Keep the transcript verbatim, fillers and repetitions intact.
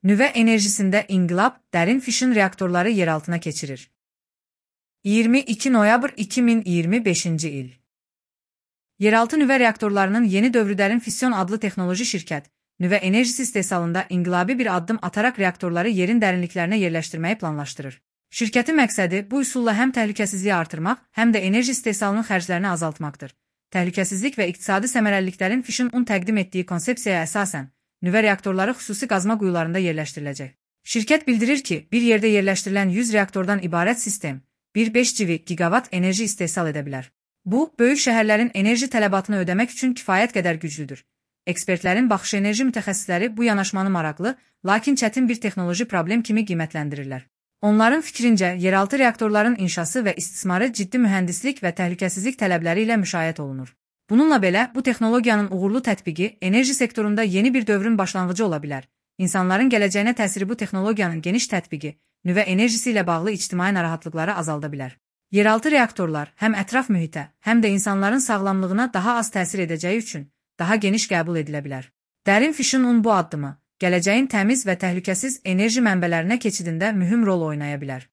Nüvə enerjisində inqilab dərin fission reaktorları yeraltına keçirir. iyirmi iki noyabr iki min iyirmi beşinci il. Yeraltı nüvə reaktorlarının yeni dövrü dərin fission adlı texnoloji şirkət, nüvə enerjisi istehsalında inqilabi bir addım ataraq reaktorları yerin dərinliklərinə yerləşdirməyi planlaşdırır. Şirkətin məqsədi bu üsulla həm təhlükəsizliyi artırmaq, həm də enerji istehsalının xərclərini azaltmaqdır. Təhlükəsizlik və iqtisadi səmərəliliklərin fission un təqdim etdiyi konsepsiyaya əsasən, nüvə reaktorları xüsusi qazma quyularında yerləşdiriləcək. Şirkət bildirir ki, bir yerdə yerləşdirilən yüz reaktordan ibarət sistem bir beş gigavat enerji istehsal edə bilər. Bu, böyük şəhərlərin enerji tələbatını ödəmək üçün kifayət qədər güclüdür. Ekspertlərin baxışı enerji mütəxəssisləri bu yanaşmanı maraqlı, lakin çətin bir texnoloji problem kimi qiymətləndirirlər. Onların fikrincə, yeraltı reaktorların inşası və istismarı ciddi mühəndislik və təhlükəsizlik tələbləri ilə müşayiət olunur. Bununla belə, bu texnologiyanın uğurlu tətbiqi enerji sektorunda yeni bir dövrün başlanğıcı ola bilər. İnsanların gələcəyinə təsiri bu texnologiyanın geniş tətbiqi, nüvə enerjisi ilə bağlı ictimai narahatlıqları azalda bilər. Yeraltı reaktorlar həm ətraf mühitə, həm də insanların sağlamlığına daha az təsir edəcəyi üçün daha geniş qəbul edilə bilər. Dərin fission un bu addımı, gələcəyin təmiz və təhlükəsiz enerji mənbələrinə keçidində mühüm rol oynaya bilər.